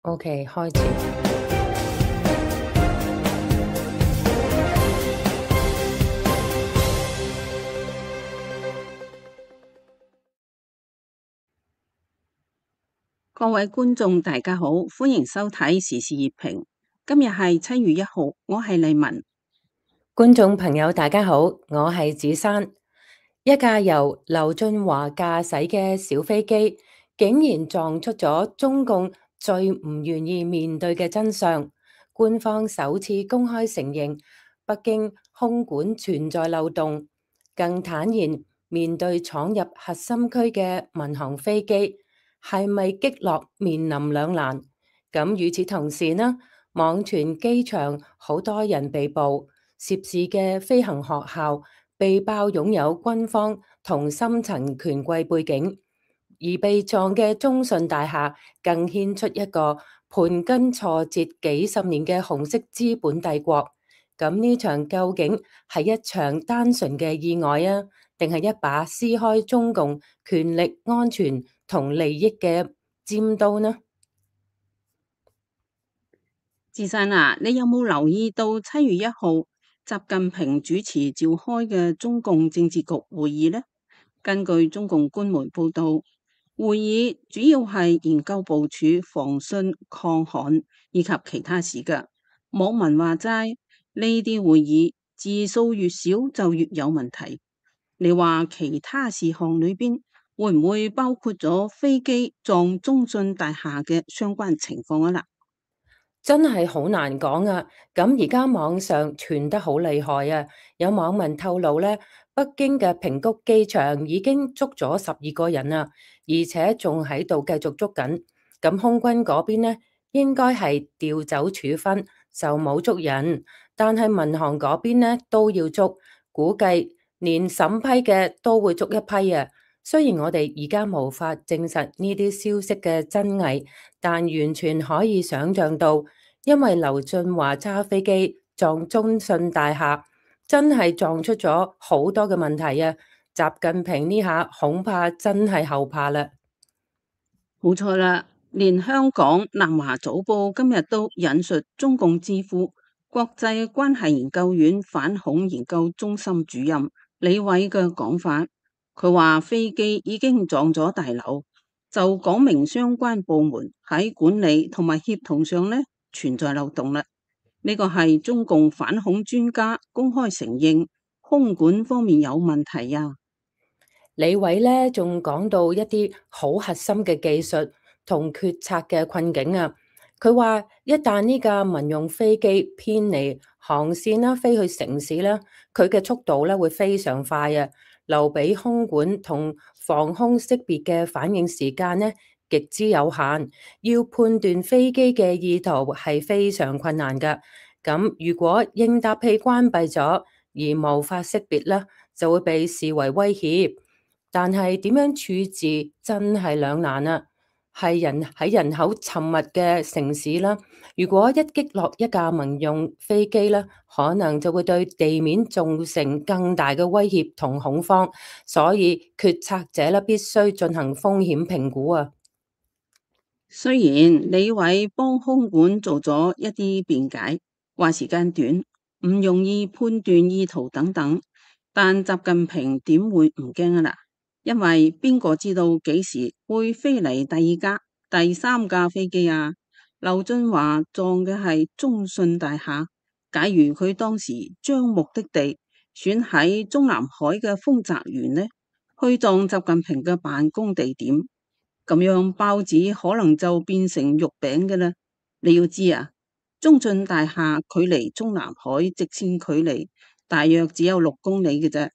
OK，開始。各位觀眾，大家好，歡迎收睇時事熱評。今日係7月1號，我係麗文。觀眾朋友，大家好，我係子珊。一架由劉俊華駕駛嘅小飛機，竟然撞出咗中共最唔願意面對嘅真相。官方首次公開承認北京空管存在漏洞，更坦然面對闖入核心區嘅民航飛機係咪擊落面臨兩難。咁與此同時呢，網傳機場好多人被捕。涉事嘅飛行學校被爆擁有軍方同深層權貴背景，而被撞嘅中信大廈更牽出一個盤根錯節幾十年嘅紅色資本帝國。咁呢場究竟係一場單純嘅意外啊，定係一把撕開中共權力、安全同利益嘅尖刀呢？子珊啊，你有冇留意到7月1號習近平主持召開嘅中共政治局會議呢？根據中共官媒報道，會議主要係研究部署防汛抗旱以及其他事㗎。網民話齋，呢啲會議字數越少就越有問題。你話其他事項裏邊會唔會包括咗飛機撞中信大廈嘅相關情況啊？嗱，真係好難講啊！咁而家網上傳得好厲害啊！有網民透露咧，北京嘅平谷機場已經捉咗12個人啊，而且仲喺度繼續捉緊。咁空軍嗰邊呢，應該係調走處分，就冇捉人。但係民航嗰邊呢都要捉，估計連審批嘅都會捉一批啊！雖然我哋而家無法證實呢啲消息嘅真偽，但完全可以想象到。因為劉俊華揸飛機撞中信大廈，真係撞出咗好多嘅問題啊！習近平呢下恐怕真係後怕啦。冇錯啦，連香港南華早報今日都引述中共智庫國際關係研究院反恐研究中心主任李偉嘅講法，佢話飛機已經撞咗大樓，就講明相關部門喺管理同埋協同上呢存在漏洞啦。呢個係中共反恐專家公開承認空管方面有問題啊。李偉咧仲講到一啲好核心嘅技術同決策嘅困境啊！佢話一旦呢架民用飛機偏離航線啦，飛去城市啦，佢嘅速度咧會非常快啊，留俾空管同防空識別嘅反應時間呢極之有限，要判斷飛機嘅意圖係非常困難噶。咁如果應答器關閉咗而無法識別啦，就會被視為威脅。但係點樣處置真係兩難啊！係人口稠密嘅城市啦，如果一擊落一架民用飛機啦，可能就會對地面造成更大嘅威脅同恐慌，所以決策者咧必須進行風險評估啊。雖然李偉幫空管做咗一啲辯解，話時間短，唔容易判斷意圖等等，但習近平點會唔驚啊？嗱，因為邊個知道幾時會飛嚟第二架、第三架飛機啊？劉俊華撞嘅係中信大廈，假如佢當時將目的地選喺中南海嘅豐澤園呢，去撞習近平嘅辦公地點。咁樣包子可能就變成肉餅嘅啦。你要知啊，中信大廈距離中南海直線距離大約只有6公里嘅啫，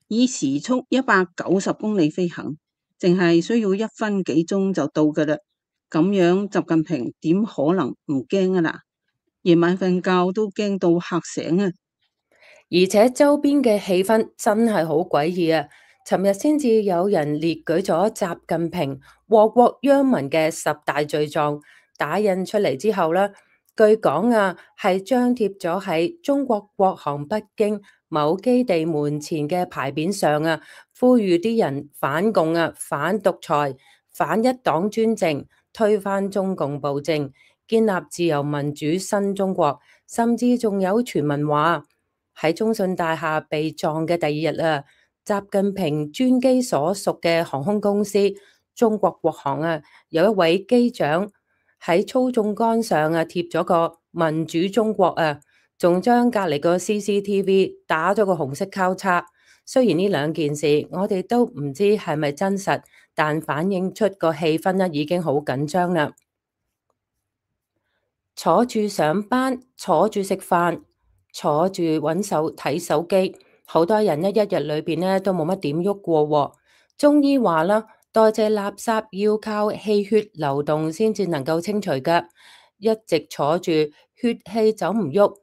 以時速190公里飛行，淨係需要1分幾鐘就到噶啦。咁樣習近平點可能唔驚啊？嗱，夜晚瞓覺都驚到嚇醒啊！而且周邊嘅氣氛真係好詭異啊！尋日先至有人列舉咗習近平禍國殃民嘅10大罪狀，打印出嚟之後呢，據講啊係張貼咗喺中國國航北京某基地門前嘅牌匾上啊，呼籲啲人反共啊、反獨裁、反一黨專政、推翻中共暴政，建立自由民主新中國，甚至仲有傳聞話喺中信大廈被撞嘅第二日啊，習近平專機所屬嘅航空公司中國國航啊，有一位機長喺操縱桿上啊貼咗個民主中國啊，仲將隔離個 CCTV 打咗個紅色交叉。雖然呢兩件事我哋都唔知係咪真實，但反映出個氣氛呢已經好緊張啦。坐住上班，坐住食飯，坐住揾手睇手機，好多人呢一日裏邊呢都冇乜點喐過喎。中醫話啦，代謝垃圾要靠氣血流動先至能夠清除㗎，一直坐住血氣走唔喐，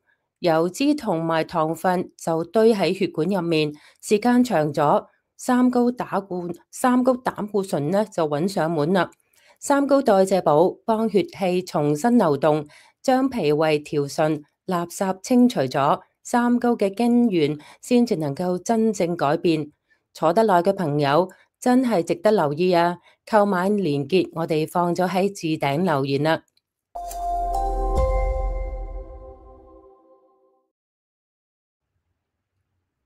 油脂同埋糖分就堆喺血管入面，時間長咗，三高膽固醇呢就揾上門啦。三高代謝寶幫血氣重新流動，將脾胃調順，垃圾清除咗，三高嘅根源先至能夠真正改變。坐得耐嘅朋友真係值得留意啊！購買連結我哋放咗喺置頂留言啦。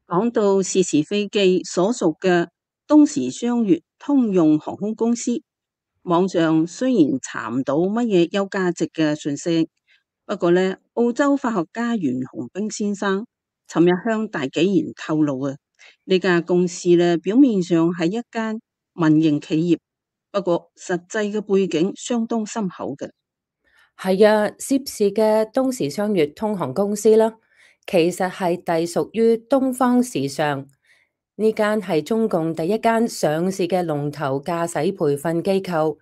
講到是是非機所屬嘅東時雙月通用航空公司，網上雖然查唔到乜嘢有價值嘅信息，不過呢，澳洲法學家袁洪兵先生尋日向大紀元透露啊，呢間公司呢表面上係一間民營企業，不過實際嘅背景相當深厚嘅。係啊，涉事嘅東時雙月通航公司啦，其實係隸屬於東方時尚，呢間係中共第一間上市嘅龍頭駕駛培訓機構。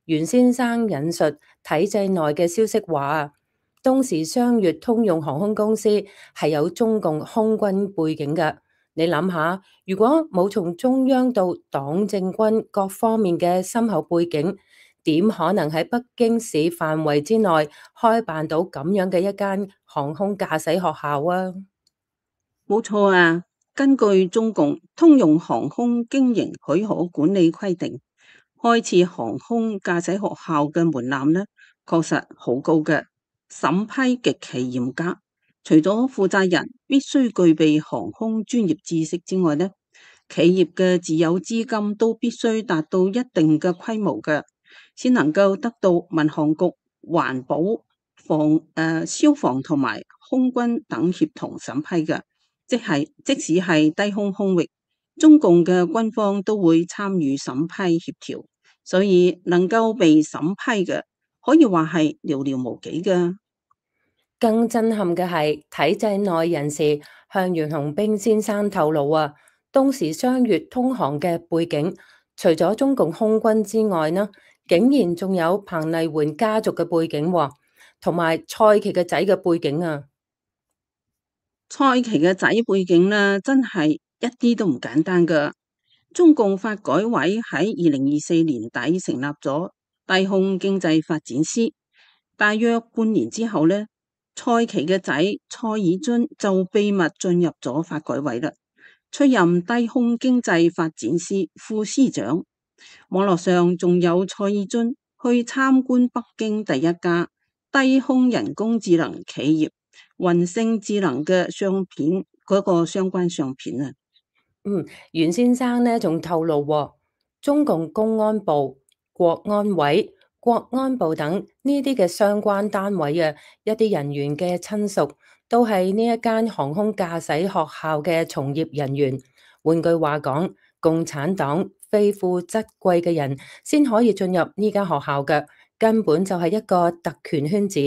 袁先生引述體制內嘅消息話，東時雙月通用航空公司係有中共空軍背景嘅。你諗下，如果冇從中央到黨政軍各方面嘅深厚背景，點可能喺北京市範圍之內開辦到咁樣嘅一間航空駕駛學校啊？冇錯啊，根據中共通用航空經營許可管理規定，開設航空駕駛學校嘅門檻呢，確實好高嘅，審批極其嚴格。除咗負責人必須具備航空專業知識之外呢，企業嘅自有資金都必須達到一定嘅規模嘅，先能夠得到民航局、環保、消防同埋空軍等協同審批嘅。即使係低空空域，中共嘅軍方都會參與審批協調，所以能夠被審批嘅，可以話係寥寥無幾㗎。更震撼嘅係體制內人士向袁洪兵先生透露啊，東時雙月通航嘅背景，除咗中共空軍之外呢，竟然仲有彭麗媛家族嘅背景喎，同埋蔡奇嘅仔嘅背景啊！蔡奇嘅仔背景呢，真係一啲都唔簡單㗎。中共發改委喺2024年底成立咗低空經濟發展司，大約半年之後呢，蔡奇嘅仔蔡爾津就秘密進入咗發改委啦，出任低空經濟發展司副司長。網絡上仲有蔡爾津去參觀北京第一家低空人工智能企業雲星智能嘅相片，嗰個相關相片啊。袁先生呢仲透露喎，中共公安部、國安委、國安部等呢啲嘅相關單位啊，一啲人員嘅親屬都係呢一間航空駕駛學校嘅從業人員。換句話講，共產黨非富則貴嘅人先可以進入呢間學校嘅，根本就係一個特權圈子。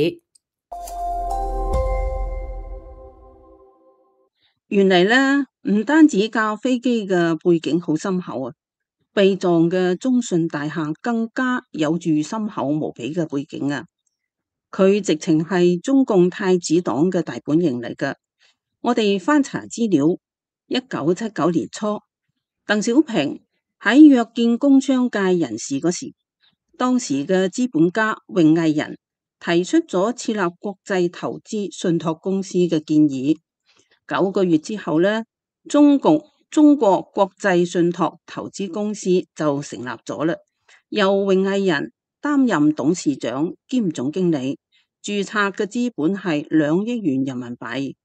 原嚟呢，唔單止架飛機嘅背景好深厚啊，被撞嘅中信大廈更加有住深厚無比嘅背景啊！佢直情係中共太子黨嘅大本營嚟㗎。我哋翻查資料，1979年初，鄧小平喺約見工商界人士嗰時，當時嘅資本家榮毅仁提出咗設立國際投資信託公司嘅建議。9個月之後呢，中國國際信託投資公司就成立咗啦，由榮毅仁擔任董事長兼總經理，註冊嘅資本係2億元人民幣。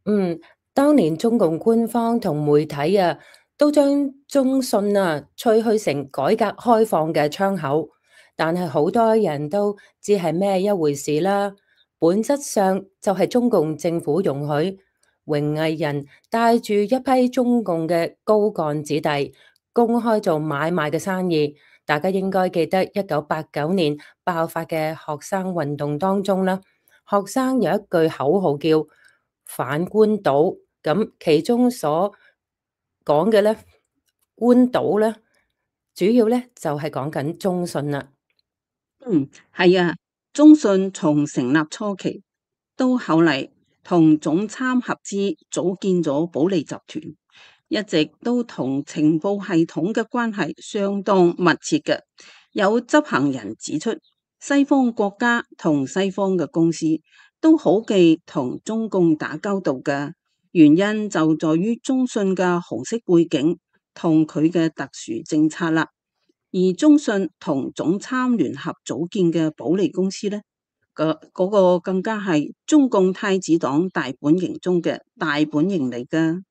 嗯，當年中共官方同媒體啊，都將中信啊吹噓成改革開放嘅窗口，但係好多人都知係咩一回事啦。本質上就係中共政府容許榮毅仁帶住一批中共嘅高幹子弟公開做買賣嘅生意。大家應該記得1989年爆發嘅學生運動當中啦，學生有一句口號叫反官倒，咁其中所講嘅咧，官倒咧，主要咧就係講緊中信啦。係啊，中信從成立初期到後嚟同總參合資組建咗保利集團，一直都同情報系統嘅關係相當密切嘅。有執行人指出，西方國家同西方嘅公司都好忌同中共打交道嘅，原因就在於中信嘅紅色背景同佢嘅特殊政策啦。而中信同總參聯合組建嘅保利公司呢，嗰個更加係中共太子黨大本營中嘅大本營嚟㗎。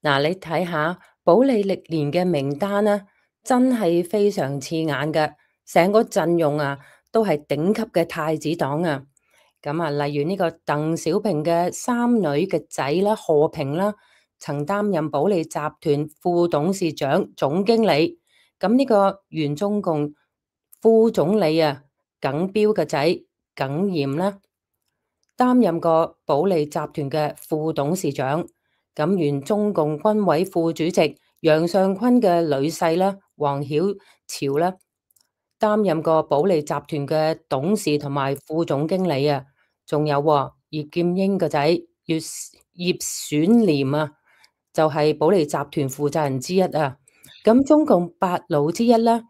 嗱，你睇下保利歷年嘅名單啦，真係非常刺眼嘅，成個陣容啊都係頂級嘅太子黨啊。咁啊，例如呢個鄧小平嘅三女嘅仔啦，賀平啦，曾擔任保利集團副董事長、總經理。咁呢個原中共副總理啊，耿彪嘅仔耿炎啦，擔任過保利集團嘅副董事長。咁原中共軍委副主席楊尚昆嘅女婿啦，黃曉潮啦，擔任過保利集團嘅董事同埋副總經理啊。仲有葉劍英個仔葉選廉啊，就係保利集團負責人之一啊。咁中共八老之一啦，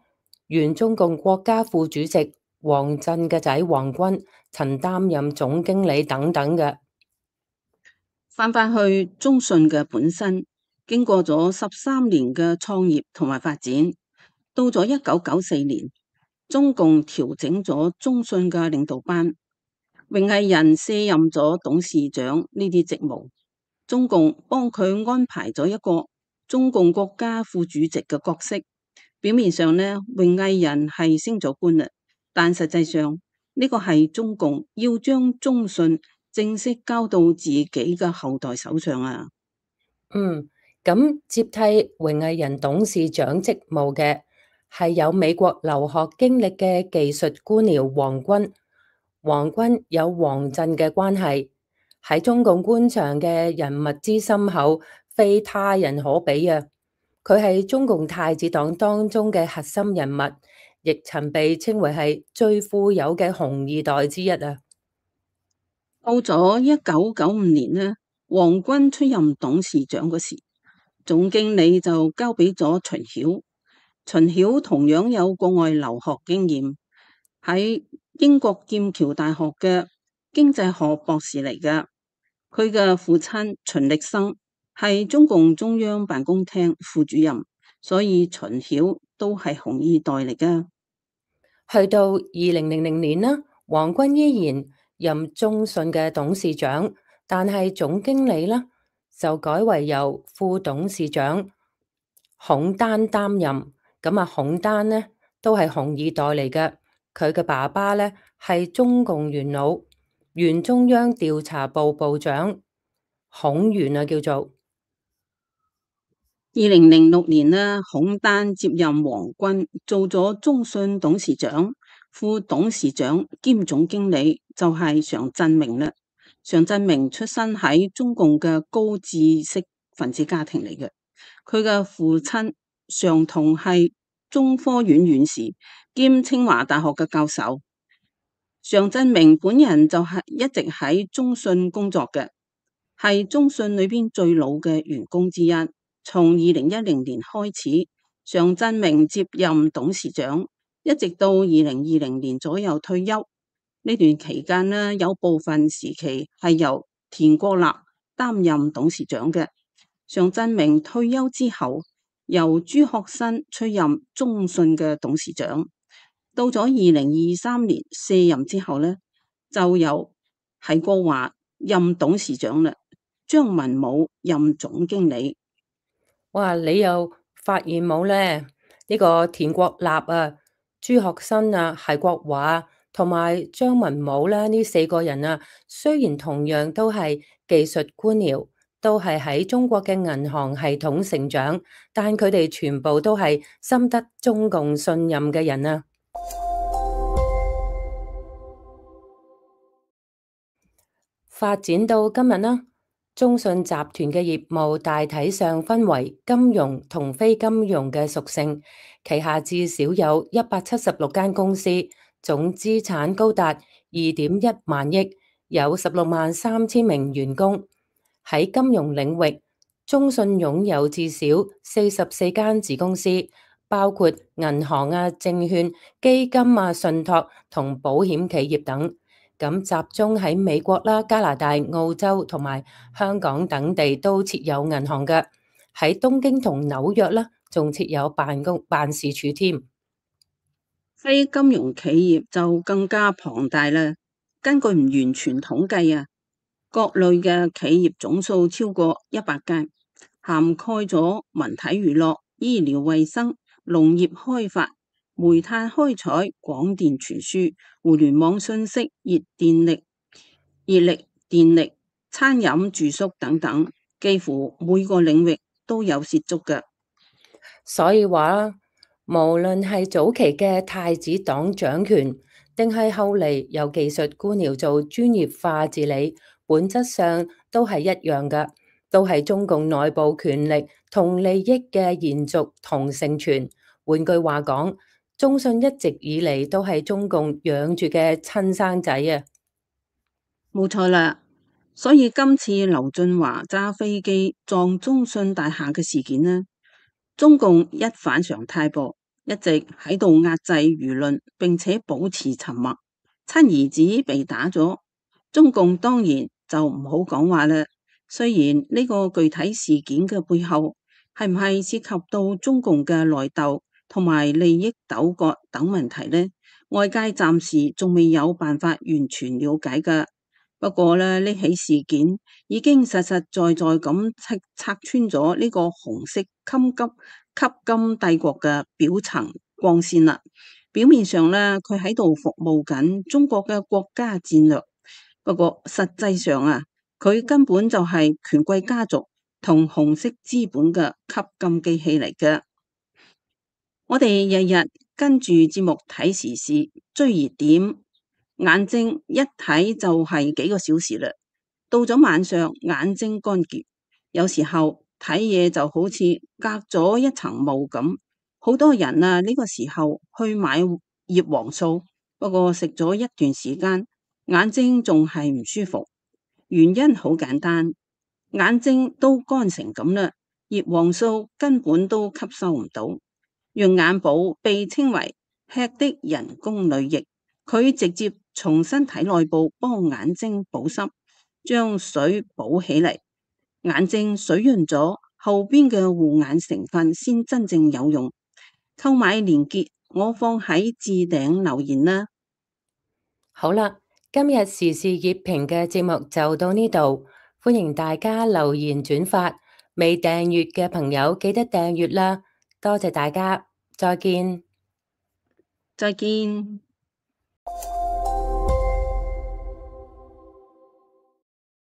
原中共國家副主席王震嘅仔王軍曾擔任總經理等等嘅。翻去中信嘅本身，經過咗13年嘅創業同埋發展，到咗1994年，中共調整咗中信嘅領導班，榮毅仁卸任咗董事長呢啲職務，中共幫佢安排咗一個中共國家副主席嘅角色。表面上呢，榮毅仁係升咗官啦，但實際上呢個係中共要將中信正式交到自己嘅後代手上啊。咁接替榮毅仁董事長職務嘅係有美國留學經歷嘅技術官僚王軍。王軍有王震嘅關係，喺中共官場嘅人脈之深厚，非他人可比啊！佢係中共太子黨當中嘅核心人物，亦曾被稱為係最富有嘅紅二代之一啊！到咗1995年呢，王軍出任董事長嗰時，總經理就交俾咗秦曉。秦曉同樣有國外留學經驗，喺英國劍橋大學嘅經濟學博士嚟㗎。佢嘅父親秦力生係中共中央辦公廳副主任，所以秦曉都係紅二代嚟㗎。去到2000年啦，王軍依然任中信嘅董事長，但係總經理啦就改為由副董事長孔丹擔任。咁啊，孔丹呢都係紅二代嚟嘅，佢嘅爸爸呢係中共元老，原中央調查部部長孔元啊，叫做。2006年呢，孔丹接任王軍做咗中信董事長、副董事長兼總經理，就係常振明啦。常振明出身喺中共嘅高知識分子家庭嚟嘅，佢嘅父親常同係中科院院士兼清華大學嘅教授。常振明本人就係一直喺中信工作嘅，係中信裏邊最老嘅員工之一。從2010年開始，常振明接任董事長，一直到2020年左右退休。呢段期間呢，有部分時期係由田國立擔任董事長嘅。常振明退休之後，由朱學新出任中信嘅董事長。到咗2023年卸任之後呢，就由係國華任董事長啦，張文武任總經理。哇！你又發現冇咧？呢個田國立啊、朱學新啊、係國華同埋張文武咧，呢四個人啊，雖然同樣都係技術官僚，都係喺中國嘅銀行系統成長，但佢哋全部都係深得中共信任嘅人啊！發展到今日啦，中信集團嘅業務大體上分為金融同非金融嘅屬性，旗下至少有176間公司，總資產高達2.1萬億，有16.3萬名員工。喺金融領域，中信擁有至少44間子公司，包括銀行啊、證券、基金啊、信託同保險企業等。咁集中喺美國啦、加拿大、澳洲同埋香港等地都設有銀行嘅，喺東京同紐約啦，仲設有辦事處添。非金融企業就更加龐大啦。根據唔完全統計啊，各類嘅企業總數超過100間，涵蓋咗文體娛樂、醫療衛生、農業開發、煤炭開採、廣電傳輸、互聯網信息、熱力電力、餐飲住宿等等，幾乎每個領域都有涉足嘅。所以話啦，無論係早期嘅太子黨掌權，定係後嚟由技術官僚做專業化治理，本質上都係一樣嘅，都係中共內部權力同利益嘅延續同承傳。換句話講，中信一直以嚟都係中共養住嘅親生仔啊！冇錯啦，所以今次劉俊華揸飛機撞中信大廈嘅事件呢，中共一反常態噃，一直喺度壓制輿論，並且保持沉默。親兒子被打咗，中共當然就唔好講話啦。雖然呢個具體事件嘅背後係唔係涉及到中共嘅內鬥同埋利益糾葛等問題呢，外界暫時仲未有辦法完全了解㗎。不過咧，呢起事件已經實實在在咁拆穿咗呢個紅色吸金帝國嘅表層光線啦。表面上咧，佢喺度服務緊中國嘅國家戰略，不過實際上啊，佢根本就係權貴家族同紅色資本嘅吸金機器嚟嘅。我哋日日跟住節目睇時事、追熱點。眼睛一睇就係幾個小時啦，到咗晚上眼睛乾澀，有時候睇嘢就好似隔咗一層霧咁。好多人啊，呢個時候去買葉黃素，不過食咗一段時間，眼睛仲係唔舒服。原因好簡單，眼睛都乾成咁啦，葉黃素根本都吸收唔到。用眼寶被稱為吃的人工淚液。佢直接從身體內部幫眼睛保濕，將水補起嚟，眼睛水潤咗，後邊嘅護眼成分先真正有用。購買鏈接我放喺置頂留言啦。好啦，今日時事熱評嘅節目就到呢度，歡迎大家留言轉發，未訂閱嘅朋友記得訂閱啦，多謝大家，再見。再見。